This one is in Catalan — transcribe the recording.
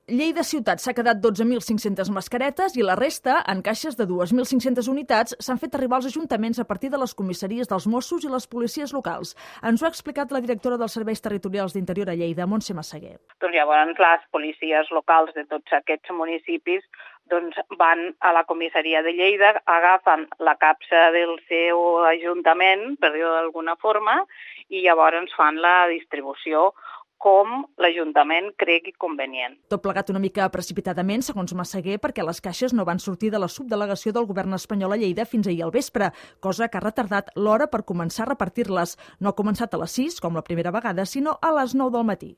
Lleida Ciutat s'ha quedat 12.500 mascaretes i la resta, en caixes de 2.500 unitats, s'han fet arribar als ajuntaments a partir de les comissaries dels Mossos i les policies locals. Ens ho ha explicat la directora dels Serveis Territorials d'Interior a Lleida, Montse Massaguer. Llavors les policies locals de tots aquests municipis van a la comissaria de Lleida, agafen la capsa del seu ajuntament, per dir-ho d'alguna forma, i llavors fan la distribució com l'Ajuntament cregui convenient. Tot plegat una mica precipitadament, segons Massaguer, perquè les caixes no van sortir de la subdelegació del govern espanyol a Lleida fins ahir al vespre, cosa que ha retardat l'hora per començar a repartir-les. No ha començat a les 6, com la primera vegada, sinó a les 9 del matí.